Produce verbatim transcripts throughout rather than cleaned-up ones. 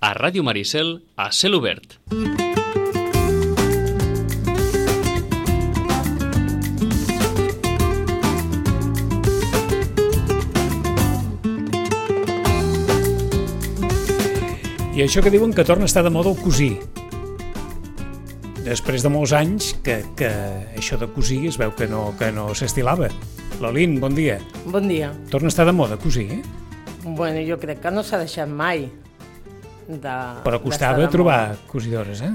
a Ràdio Maricel a cel obert. I això que diuen que torna a estar de moda el cosir. Després de molts anys que, que això de cosir es veu que no, que no s'estilava. Lolín, bon dia. Bon dia. Torna a estar de moda cosir, eh? Bueno, jo crec que no s'ha deixat mai de... Però costava trobar cosidores, eh?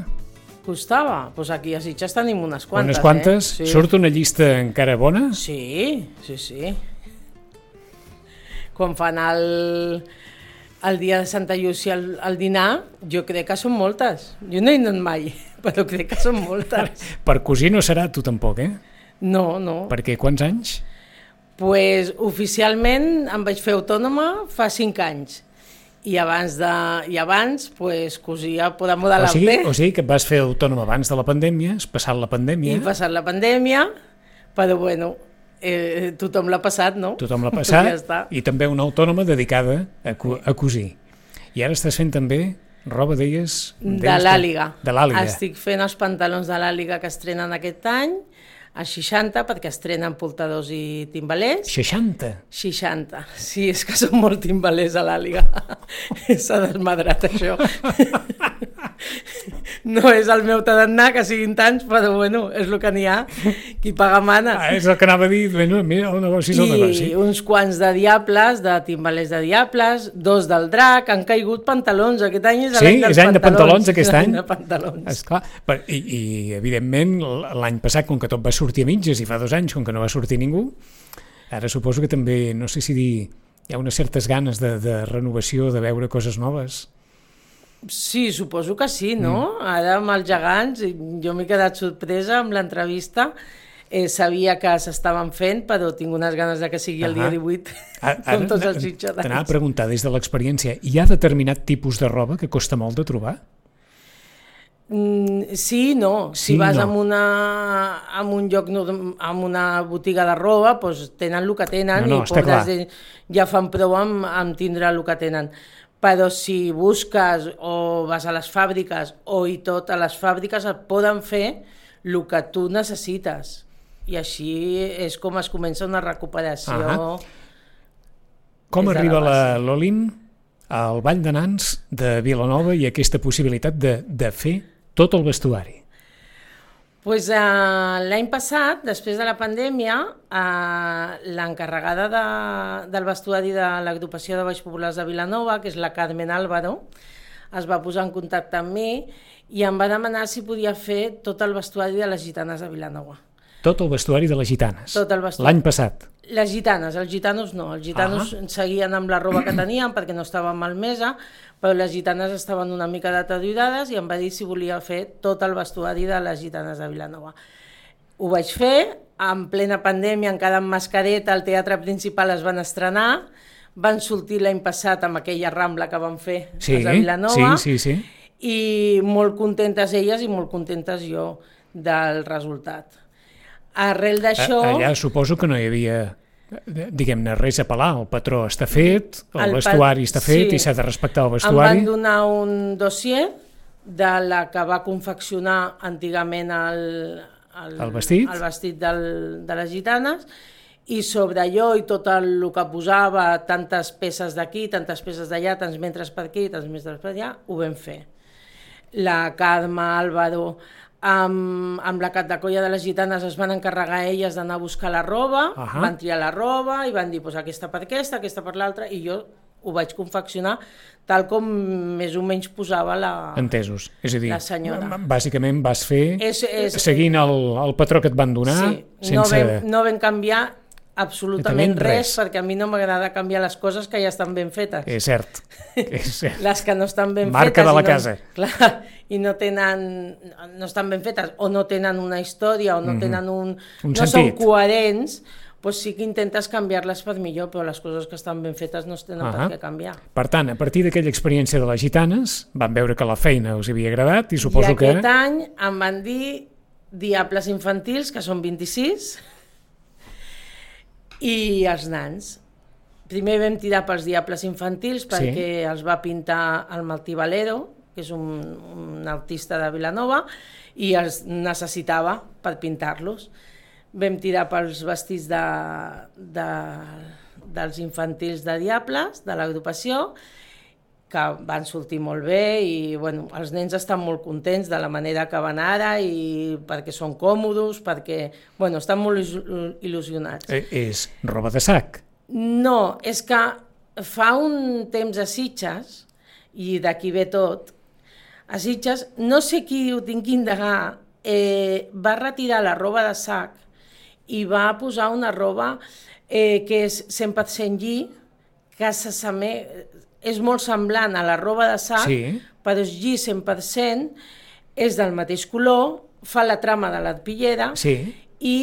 Costava? Doncs pues aquí a Sitges tenim unes quantes, unes quantes? Eh? Sí. Surt una llista encara bona? Sí, sí, sí. Quan fan el... el dia de Santa Llúcia al, al dinar, jo crec que són moltes. Jo no he anat mai, però crec que són moltes. Per cosir no serà tu tampoc, eh? No, no. Per què? Quants anys? Pues, oficialment em vaig fer autònoma fa cinc anys. I abans, de, i abans pues, cosia per damunt de o sigui, l'alter. O sigui que et vas fer autònoma abans de la pandèmia, has passat la pandèmia... I passat la pandèmia, però bueno... Eh, tothom l'ha passat, no? Tothom l'ha passat, ja i també una autònoma dedicada a, co a cosir. I ara estàs fent també roba, deies... De l'Àliga. De l'Àliga. Estic fent els pantalons de l'Àliga que estrenen aquest any, a seixanta, perquè estrenen portadors i timbalers. seixanta? seixanta. Sí, és que són molt timbalers a l'Àliga. S'ha desmadrat, això. No és el meu tarannà, que siguin tants, però bueno, és el que n'hi ha. Qui paga mana. Ah, és el que anava a dir, bueno, mira, el negoci és el negoci. I uns quants de diables, de timbalers de diables, dos del drac, han caigut pantalons. Aquest any és l'any dels pantalons. Sí, és any de pantalons aquest any. De pantalons. Esclar. I, I, evidentment, l'any passat, com que tot va sortir a mitges, i fa dos anys, com que no va sortir ningú, ara suposo que també, no sé si dir, hi ha unes certes ganes de, de renovació, de veure coses noves. Sí, suposo que sí, no? Mm. Ara amb els gegants, jo m'he quedat sorpresa amb l'entrevista, eh, sabia que s'estaven fent, però tinc unes ganes de que sigui el dia divuit, com tots els sitjadans. T'anava a preguntar, des de l'experiència, hi ha determinat tipus de roba que costa molt de trobar? Mm, sí, no. Sí, si vas no. en, una, en un lloc, en una botiga de roba, doncs tenen el que tenen, no, no, i pobres ja fan prou amb, amb tindre el que tenen. Però si busques o vas a les fàbriques o i tot, a les fàbriques et poden fer el que tu necessites. I així és com es comença una recuperació. Ah, com arriba la, la Lolín al Ball de Nans de Vilanova i aquesta possibilitat de, de fer tot el vestuari? Pues, uh, l'any passat, després de la pandèmia, uh, l'encarregada de, del vestuari de l'agrupació de Balls Populars de Vilanova, que és la Carmen Álvaro, es va posar en contacte amb mi i em va demanar si podia fer tot el vestuari de les gitanes de Vilanova. Tot el vestuari de les gitanes? Tot el vestuari. L'any passat? Les gitanes, els gitanos no. Els gitanos ah. seguien amb la roba que tenien perquè no estaven malmesa, però les gitanes estaven una mica deteriorades i em va dir si volia fer tot el vestuari de les gitanes de Vilanova. Ho vaig fer, en plena pandèmia, encara amb mascareta, al teatre principal es van estrenar, van sortir l'any passat amb aquella rambla que van fer sí, a Vilanova, sí, sí, sí. I molt contentes elles i molt contentes jo del resultat. Arrel d'això... Allà suposo que no hi havia, diguem-ne, res a pelar, el patró està fet, el, el vestuari està fet sí. I s'ha de respectar el vestuari. Em van donar un dossier de la que va confeccionar antigament el, el, el vestit, el vestit del, de les gitanes, i sobre allò i tot el, el que posava, tantes peces d'aquí, tantes peces d'allà, tants metres per aquí, tants metres per allà, ho vam fer. La Carme Álvaro... Amb, amb la Catacolla de les Gitanes es van encarregar elles d'anar a buscar la roba, uh -huh. van triar la roba i van dir pues, aquesta per aquesta, aquesta per l'altra, i jo ho vaig confeccionar tal com més o menys posava la, Entesos. És a dir, la senyora. Bàsicament vas fer és, és, seguint el, el patró que et van donar. Sí, sense... no, vam, no vam canviar absolutament res, res, perquè a mi no m'agrada canviar les coses que ja estan ben fetes. És cert. És cert. Les que no estan ben Marca fetes... de la no, casa. Clar, i no tenen, no estan ben fetes, o no tenen una història, o no mm-hmm. tenen un... un no sentit. Són coherents, doncs sí que intentes canviar-les per millor, però les coses que estan ben fetes no es tenen uh -huh. per què canviar. Per tant, a partir d'aquella experiència de les gitanes, van veure que la feina us havia agradat i suposo que... I aquest que... any em van dir Diables Infantils, que són vint-i-sis, i els nans. primer vam tirar pels Diables Infantils perquè Sí. els va pintar el Martí Valero, que és un, un artista de Vilanova, i els necessitava per pintar-los. Vam tirar pels vestits de, de, dels infantils de Diables, de l'agrupació, que van sortir molt bé i bueno, els nens estan molt contents de la manera que van ara i perquè són còmodes, perquè bueno, estan molt il·lusionats. Eh, és roba de sac. No, és que fa un temps a Sitges, i d'aquí ve tot, a Sitges, no sé qui ho tinc que indagar, eh, va retirar la roba de sac i va posar una roba eh, que és cent per cent lli, que s'asseме... és molt semblant a la roba de sac, Sí. però és lli cent per cent, és del mateix color, fa la trama de l'arpillera Sí. i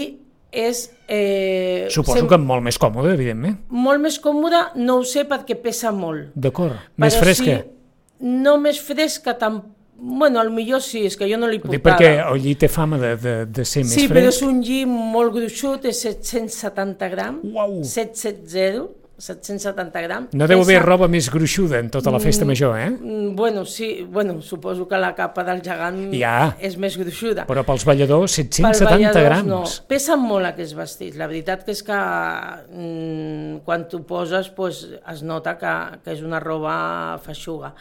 és... Eh, Suposo sem- que molt més còmode, evidentment. molt més còmode, no ho sé perquè pesa molt. D'acord. Més Però fresca. Sí, no més fresca, tam... bueno, al millor sí, és que jo no li Dic portava. perquè el lli té fama de, de, de ser Sí, més però fresc. és un lli molt gruixut, és set-cents setanta grams, Uau. set cents setanta, set-cents setanta grams. No deu haver Pesa- roba més gruixuda en tota la festa major, eh? Mm, Bueno, sí, bueno, suposo que la capa del gegant Ja. és més gruixuda. Però pels balladors, set-cents Pels setanta balladors, grams. No. Pesen molt aquests vestits. La veritat que és que mm, quan t'ho poses pues, es nota que, que és una roba feixuga.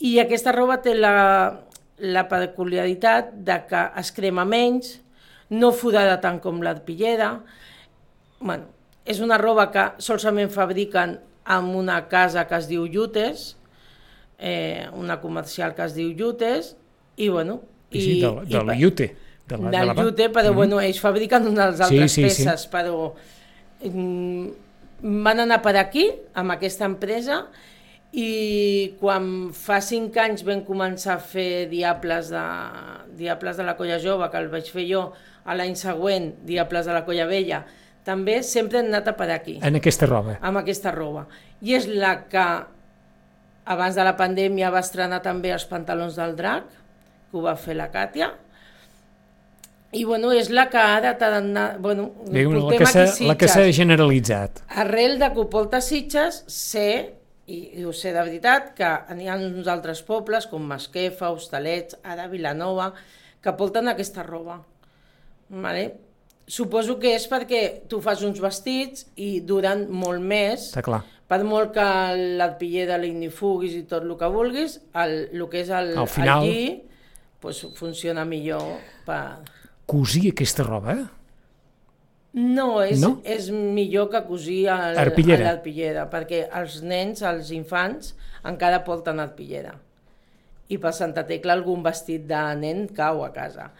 I aquesta roba té la, la peculiaritat de que es crema menys, no fodada tant com l'arpillera. Bueno, és una roba que solament fabriquen en una casa que es diu Llutes, eh, una comercial que es diu Llutes, i bueno... I, sí, del, i del pa- Llute. De la, de del la va- Llute, però Mhm. bueno, ells fabriquen unes Sí, altres sí, sí. peces, però mm, van anar per aquí, amb aquesta empresa, i quan fa cinc anys vam començar a fer Diables de, Diables de la Colla Jove, que el vaig fer jo, a l'any següent, Diables de la Colla Vella, també sempre hem anat a per aquí, En aquesta roba. amb aquesta roba. I és la que, abans de la pandèmia, va estrenar també els pantalons del drac, que ho va fer la Càtia, i bueno, és la que ara t'ha d'anar... Bueno, Diu, la portem que s'ha- aquí la que s'ha Sitges. generalitzat. Arrel de que ho porta Sitges, sé, i, i ho sé de veritat, que n'hi ha uns altres pobles, com Masquefa, Hostalets, ara Vilanova, que porten aquesta roba. Vale? Suposo que és perquè tu fas uns vestits i duren molt més, Està clar. per molt que l'arpillera l'ignifuguis i tot el que vulguis, el, el que és el, Al final- el lli, pues, funciona millor per... Cosir aquesta roba, eh? No, és, No? no? és millor que cosir el- Arpillera. a l'arpillera, perquè els nens, els infants, encara porten arpillera. I per Santa Tecla algun vestit de nen cau a casa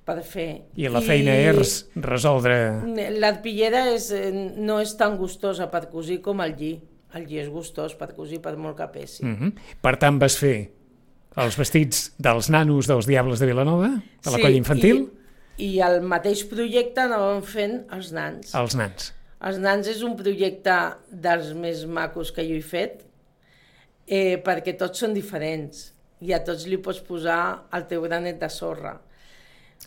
per fer. I la feina és resoldre... L'arpillera és, eh, no és tan gustosa per cosir com el lli. El lli és gustós per cosir per molt que pesi. Mm -hmm. Per tant, vas fer els vestits dels nanos dels Diables de Vilanova, de la Sí, colla infantil, I, I el mateix projecte anàvem fent els nans. els nans. Els nans és un projecte dels més macos que jo he fet, eh, perquè tots són diferents i a tots li pots posar el teu granet de sorra.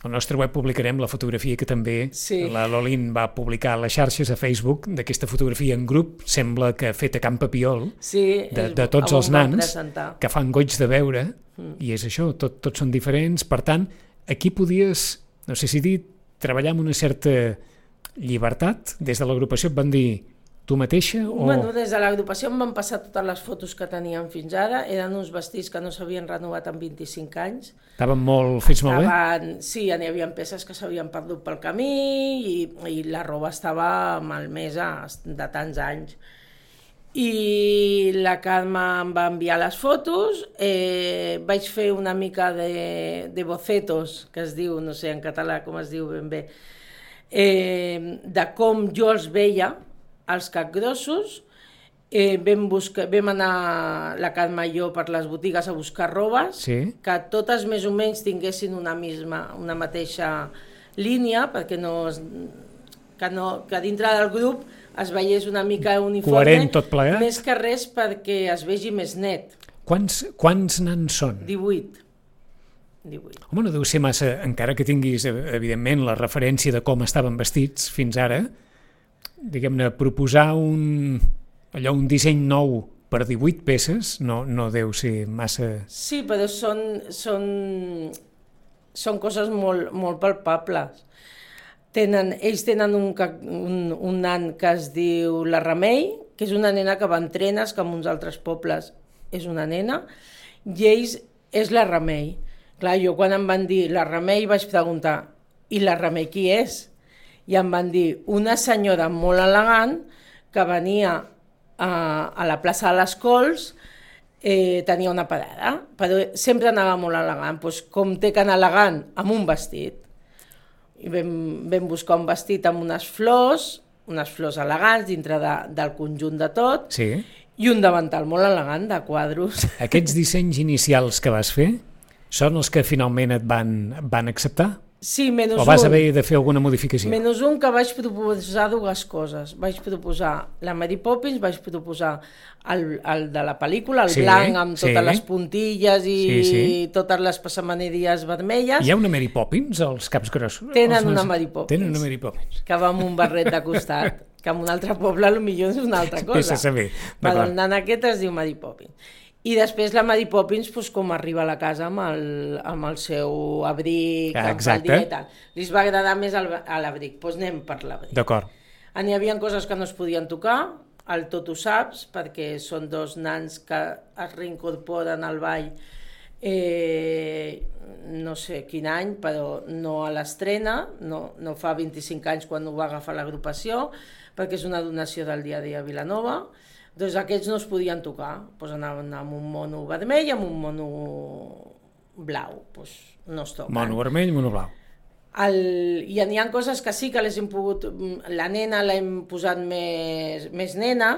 Al nostre web publicarem la fotografia que també Sí. la Lolín va publicar a les xarxes a Facebook, d'aquesta fotografia en grup, sembla que feta a Can Papiol, Sí, de, és- de tots on els vam nans, presentar. que fan goig de veure, mm. i és això, tot, tots són diferents. Per tant, aquí podies, no sé si dir, treballar amb una certa llibertat. Des de l'agrupació et van dir tu mateixa? O... Bueno, des de l'agrupació em van passar totes les fotos que teníem fins ara, eren uns vestits que no s'havien renovat en vint-i-cinc anys. Estaven molt fets molt bé? Estaven, sí, n'hi havia peces que s'havien perdut pel camí i, i la roba estava malmesa de tants anys. I la Carme em va enviar les fotos, eh, vaig fer una mica de, de bocetos, que es diu, no sé en català com es diu ben bé, eh, de com jo els veia, els capgrossos. Eh, vam, buscar, vam anar la Carme i jo per les botigues a buscar robes, Sí. que totes més o menys tinguessin una, misma, una mateixa línia, perquè no, es, que, no, que dintre del grup es veiés una mica uniforme, Coherent tot plegat. més que res perquè es vegi més net. Quants, quants nans són? divuit. divuit. Home, no deu ser massa, encara que tinguis, evidentment, la referència de com estaven vestits fins ara, diguem-ne, proposar un, allò, un disseny nou per divuit peces no, no deu ser massa... Sí, però són, són, són coses molt, molt palpables. Tenen, ells tenen un, un, un nan que es diu la Remei, que és una nena que va en trenes, que en uns altres pobles és una nena, i ells és la Remei. Clar, jo quan em van dir la Remei vaig preguntar, i la Remei qui és? I em van dir una senyora molt elegant que venia a, a la plaça de les Cols, eh, tenia una parada, però sempre anava molt elegant, doncs com té que anar elegant amb un vestit. I vam, vam buscar un vestit amb unes flors, unes flors elegants dintre de, del conjunt de tot, sí. I un davantal molt elegant de quadros. Aquests dissenys inicials que vas fer són els que finalment et van, van acceptar? Sí, menys un. O vas haver de fer alguna modificació? Menys un que vaig proposar dues coses. Vaig proposar la Mary Poppins, vaig proposar el, el de la pel·lícula, el sí, blanc amb totes sí. les puntilles i sí, sí. totes les passamaneries vermelles. Hi ha una Mary Poppins als Caps Grossos? Tenen els... una Mary Poppins. Tenen una Mary Poppins. Que va amb un barret de costat, que en un altre poble potser és una altra cosa. Vés a saber. Però el nan aquest es diu Mary Poppins. I després la Mary Poppins, doncs, com arriba a la casa amb el, amb el seu abric, ah, amb el dia i tal. Li va agradar més el, l'abric, doncs anem per l'abric. D'acord. N'hi havia coses que no es podien tocar, el tot ho saps, perquè són dos nans que es reincorporen al ball, eh, no sé quin any, però no a l'estrena, no, no fa vint-i-cinc anys quan ho va agafar l'agrupació, perquè és una donació del dia a dia a Vilanova. Doncs aquests no es podien tocar, doncs anaven amb un mono vermell i amb un mono blau, doncs no es toquen. Mono vermell, mono blau. El, I n'hi ha coses que sí que les hem pogut... La nena l'hem posat més, més nena,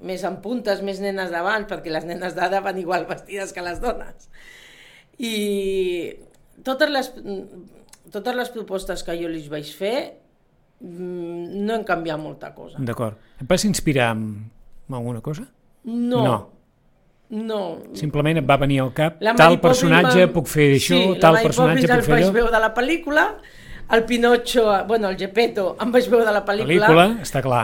més en puntes, més nenes d'abans, perquè les nenes d'ara van igual vestides que les dones. I totes les, totes les propostes que jo li vaig fer no hem canviat molta cosa. D'acord. Et vas inspirar amb alguna cosa? No. No. No. Simplement et va venir al cap, tal personatge va... puc fer això, sí, tal personatge puc fer allò. Sí, la Mary Poppins el vaig veure de la pel·lícula, el Pinocho, bueno, el Geppetto, em vaig veure de la pel·lícula. Pel·lícula, està clar.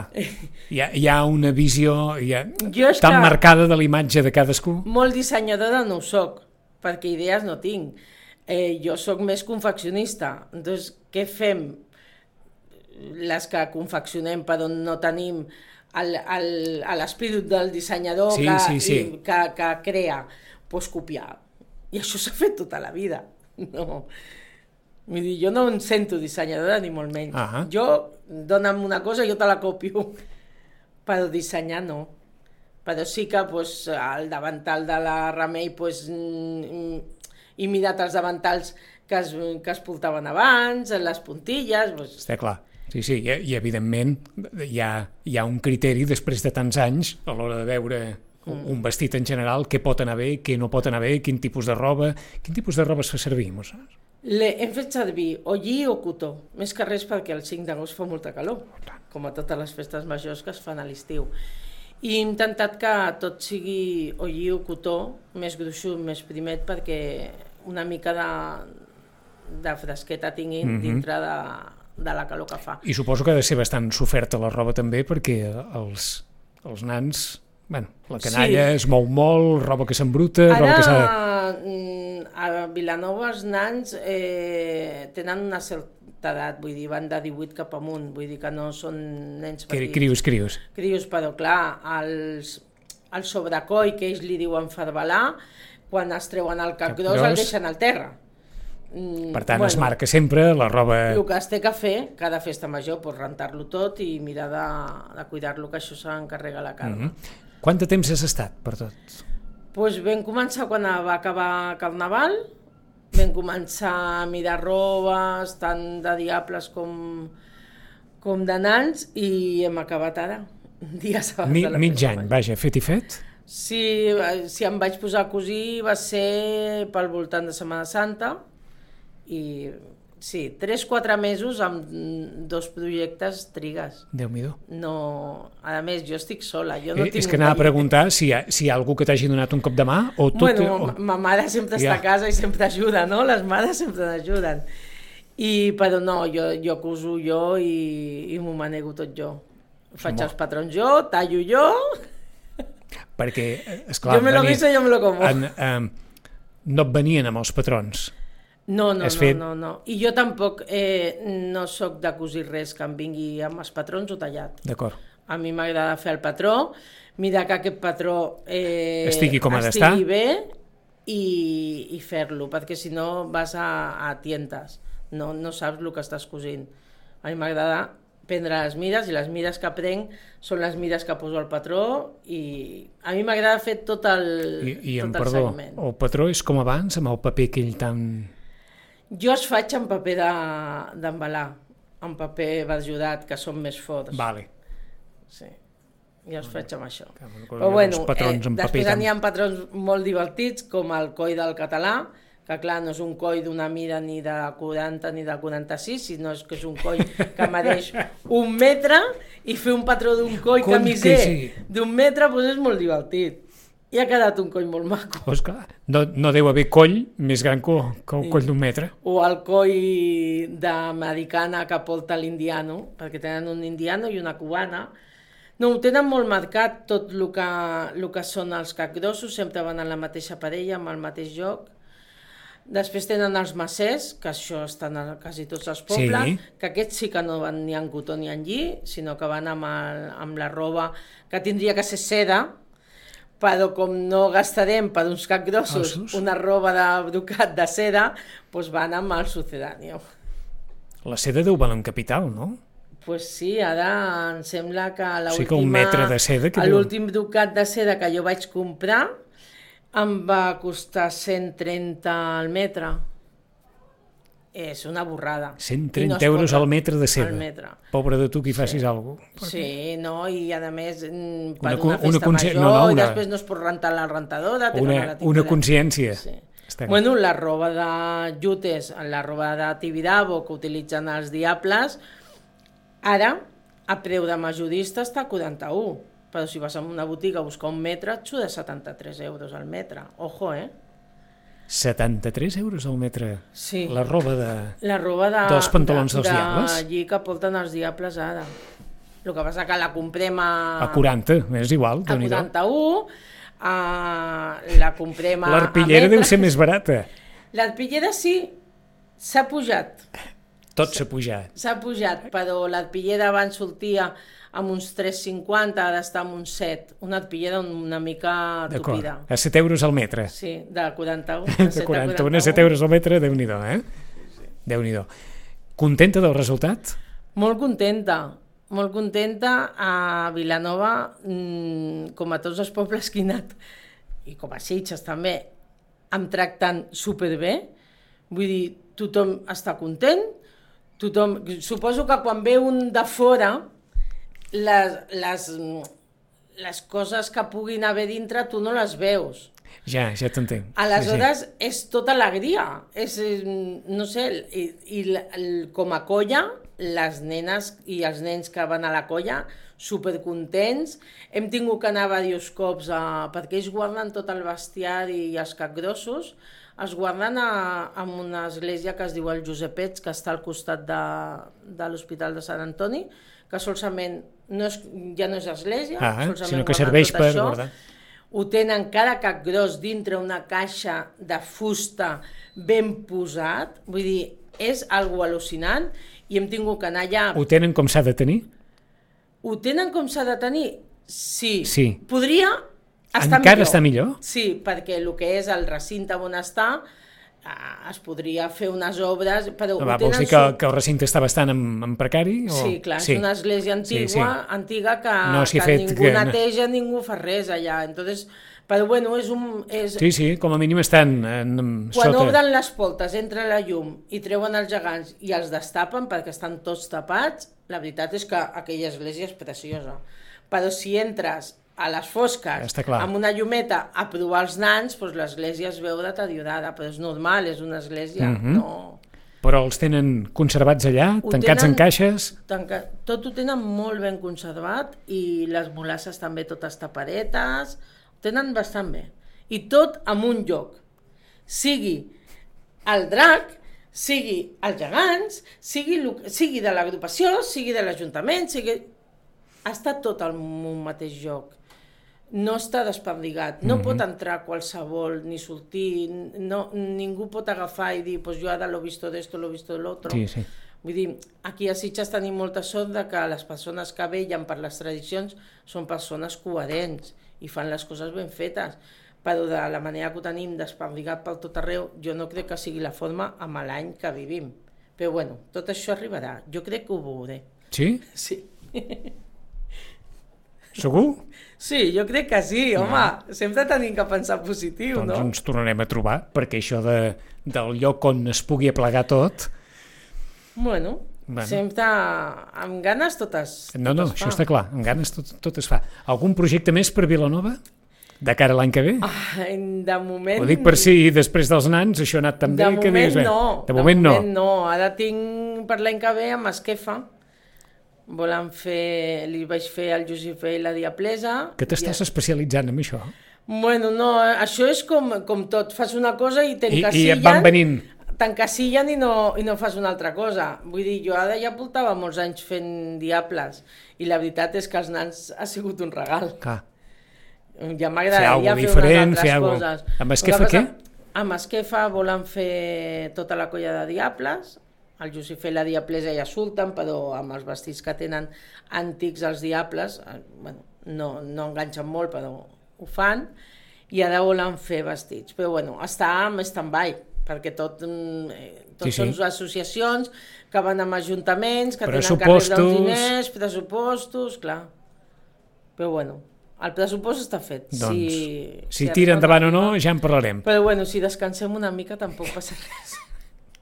Hi ha, hi ha una visió hi ha, tan que... marcada de l'imatge de cadascú. Molt dissenyadora no ho soc, perquè idees no tinc. Eh, jo sóc més confeccionista. Doncs què fem? Les que confeccionem però no tenim l'espírit del dissenyador sí, que, sí, sí. I, que, que crea, doncs copiar. I això s'ha fet tota la vida. No. Vull dir, jo no em sento dissenyadora ni molt menys. Uh -huh. Jo, dona'm una cosa, jo te la copio. Però dissenyar no. Però sí que doncs, el davantal de la Remei doncs, he mirat els davantals que es, que es portaven abans, les puntilles... Doncs... Està clar. Sí, sí, i, i evidentment hi ha, hi ha un criteri després de tants anys a l'hora de veure un, un vestit en general, què pot anar bé, què no pot anar bé, quin tipus de roba... Quin tipus de roba es fa servir, mos saps? Le, hem fet servir o lli o cotó, més que res perquè el cinc d'agost fa molta calor, com a totes les festes majors que es fan a l'estiu. I he intentat que tot sigui o lli o cotó, més gruixut, més primet, perquè una mica de, de fresqueta tinguin mm-hmm. dintre de... de la calor que fa. I suposo que ha de ser bastant soferta la roba també, perquè els, els nans, bueno, la canalla sí. es mou molt, roba que s'embruta... Ara, roba que s'ha... a Vilanova els nans eh, tenen una certa edat, vull dir, van de divuit cap amunt, vull dir que no són nens petits. Crios, crios. Crios, però clar, els, el sobrecoll, que ells li diuen farbalà, quan es treuen el cap, cap gros, gros el deixen al terra. Per tant, bueno, es marca sempre la roba... El que es té que fer, cada festa major, doncs rentar-lo tot i mirar de, de cuidar-lo, que això s'encarrega la Carme. Mm-hmm. Quant de temps has estat per tot? Doncs vam començar quan va acabar Carnaval, vam començar a mirar robes, tant de diables com, com de nans, i hem acabat ara, dies abans Mi, de la mig festa any, major. Vaja, fet i fet? Si, si em vaig posar a cosir va ser pel voltant de Setmana Santa, i sí, tres quatre mesos amb dos projectes trigues. Déu-m'hi-do. No, a més, jo estic sola. Jo no eh, tinc és que anava a preguntar si hi, ha, si hi ha algú que t'hagi donat un cop de mà o tu... Bueno, o... ma mare sempre ja. està a casa i sempre ajuda, no? Les mares sempre ajuden. I, però no, jo, jo coso jo i, i m'ho manego tot jo. Faig Molt. els patrons jo, tallo jo Perquè, esclar, jo me lo guiso i jo me lo como. En, eh, no et venien amb els patrons. No, no, Has no, fet- no, no. I jo tampoc eh, no sóc de cosir res que em vingui amb els patrons o tallat. D'acord. A mi m'agrada fer el patró, mirar que aquest patró eh, Estigui com ha d'estar. estigui bé i, i fer-lo, perquè si no vas a, a tientes, no, no saps el que estàs cosint. A mi m'agrada prendre les mides i les mides que prenc són les mides que poso al patró i a mi m'agrada fer tot el, I, i tot em el perdó, seguiment. el patró és com abans, amb el paper aquell tan... Jo es faig en paper de- d'embalar, en paper verjudat, que són més forts. Vale. Sí, jo es faig amb això. Que, bueno, Però bueno, els patrons eh, en paper després tan- n'hi ha patrons molt divertits, com el coll del català, que clar, no és un coll d'una mida ni de quaranta ni de quaranta-sis, sinó és que és un coll que mereix un metre, i fer un patró d'un coll Coll camiser que sí. d'un metre doncs és molt divertit. I ha quedat un coll molt maco. Pues clar, no, no deu haver coll més gran que, que el coll d'un metre. O el coll d'americana que porta l'indiano, perquè tenen un indiano i una cubana. No, ho tenen molt marcat tot el que, el que són els capgrossos, sempre van en la mateixa parella, amb el mateix joc. Després tenen els macers, que això estan a quasi tots els pobles, Sí. que aquests sí que no van ni en cotó ni en lli, sinó que van amb, el, amb la roba que tindria que ser seda, però com no gastarem per uns capgrossos Ossos. una roba de brocat de seda, doncs van amb el sucedáneo. La seda deu valer un capital, no? Pues sí, ara em sembla que O sigui que un metre de seda que deu- l'últim brocat de seda que jo vaig comprar em va costar cent trenta al metre. És una borrada. cent I trenta no es euros pot- al metre de seda. Al metre. Pobre de tu qui facis alguna cosa. Sí, no, i a més mm, per Una una, con- festa una consci- major, no, no, i una- després no es pot rentar la rentadora. te fan Una, la una tinta- consciència. Sí. Està Bueno, la roba de jutes, la roba de Tibidabo que utilitzen els diables, ara, a preu de majorista està a quaranta-u, però si vas a una botiga a buscar un metre, et surt de setanta-tres euros al metre. Ojo, eh? setanta-tres euros al metre. Sí. La roba de... La roba de, Dels pantalons de, dels diables? de lli que porten els diables ara. El que passa que la comprem a... A quaranta, és igual, a déu-n'hi-do. quaranta-u, a, la comprem a... L'arpillera a deu metre. ser més barata. L'arpillera sí, s'ha pujat. Tot s'ha pujat. S'ha pujat, però l'arpillera abans sortia amb uns tres coma cinquanta, ara està amb uns set. Una arpillera una mica D'acord. tupida. A set euros al metre. Sí, de quaranta-u. De quaranta-u a set euros al metre, déu-n'hi-do, eh? Déu-n'hi-do. Contenta del resultat? Molt contenta, molt contenta. A Vilanova, mmm, com a tots els pobles que he anat, i com a Sitges també, em tracten superbé. Vull dir, tothom està content. Tothom... Suposo que quan ve un de fora, les, les, les coses que puguin haver dintre tu no les veus. Ja, ja t'entenc. Aleshores, sí, sí. És tota alegria. És, eh, no sé, i, i l- l- com a colla, les nenes i els nens que van a la colla, supercontents. Hem tingut que anar diversos cops, a, perquè ells guarden tot el bestiari i els capgrossos, els guarden a, a una església que es diu el Josepets, que està al costat de, de l'Hospital de Sant Antoni, que solament no és, ja no és església, Ah, solament sinó que guarden serveix tot per això. guardar. Ho tenen cada capgros dintre una caixa de fusta ben posat, vull dir, és algo al·lucinant, i hem tingut que anar allà. Ho tenen com s'ha de tenir? Ho tenen com s'ha de tenir? Sí. Sí. Podria estar Encara millor. està millor? Sí, perquè el que és el recinte on està, eh, es podria fer unes obres, però Va, ho vols tenen... dir que, su- que el recinte està bastant en, en precari? O... Sí, clar, és una església antigua, Sí, sí. antiga que, No s'hi ha que fet ningú que- neteja, ningú fa res allà. Entonces, però bueno, és un... És, Sí, sí, com a mínim estan en, en, Quan sota... obren les portes, entra la llum i treuen els gegants i els destapen perquè estan tots tapats, la veritat és que aquella església és preciosa. Però si entres a les fosques Està clar. amb una llumeta a provar els nans, doncs l'església es veu deteriorada, però és normal, és una església, Mhm. no... Però els tenen conservats allà, Ho tancats en tenen- caixes? Tanca... Tot ho tenen molt ben conservat i les molasses també totes tapadetes, ho tenen bastant bé. I tot en un lloc. Sigui el drac, sigui els gegants, sigui, lo... sigui de l'agrupació, sigui de l'Ajuntament, sigui... Està tot en un mateix lloc. no està desperdigat, no mm-hmm. pot entrar qualsevol ni sortir, no, ningú pot agafar i dir pues jo ara l'ho visto d'esto, l'ho visto de l'altre. Sí, sí. Vull dir, aquí a Sitges tenim molta sort de que les persones que vellen per les tradicions són persones coherents i fan les coses ben fetes, però de la manera que ho tenim desperdigat per tot arreu, jo no crec que sigui la forma amb l'any que vivim. Però bueno, tot això arribarà, jo crec que ho veuré. Sí? Sí. Segur? Sí, jo crec que sí, home, no. Sempre tenim que pensar positiu, doncs no? Doncs ens tornarem a trobar, perquè això de, del lloc on es pugui aplegar tot... Bueno, bueno. Sempre amb ganes totes, no, no, totes això fa. està clar, amb ganes tot, tot es fa. Algun projecte més per Vilanova? De cara a l'any que ve? Ah, de moment... Ho dic per si després dels nans això ha anat tan bé que dius... De moment no, de moment no. no. Ara tinc per l'any que ve amb Esquefa. Volen fer, li vaig fer al Josifé i la Diaplesa. Que t'estàs i... especialitzant en això? Bueno, no, això és com, com tot, fas una cosa i t'encasillen... I, i et van venint... T'encasillen i, no, i no fas una altra cosa. Vull dir, jo ara ja portava molts anys fent Diables i la veritat és que els nans ha sigut un regal. Clar. Ja m'agradaria fer, fer unes altres fer coses. Amb Esquefa què? Amb Esquefa volen fer tota la colla de Diables. El Josifé i la Diaplesa ja surten, però amb els vestits que tenen antics els Diables, bueno, no, no enganxen molt, però ho fan, i ara volen fer vestits. Però bueno, està en stand-by, perquè tot, tot sí, són sí. associacions que van amb ajuntaments, que tenen que rebre els diners, pressupostos, clar. Però bueno, el pressupost està fet. Doncs, si, si, si tira endavant o no, ja en parlarem. Però bueno, si descansem una mica tampoc passa res.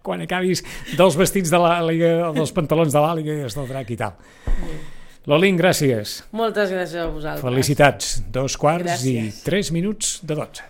Quan acabis dels vestits de l'àliga o dels pantalons de l'àliga i els del drac i tal. Mm. Lolín, gràcies. Moltes gràcies a vosaltres. Felicitats. Dos quarts gràcies. I tres minuts de dotze.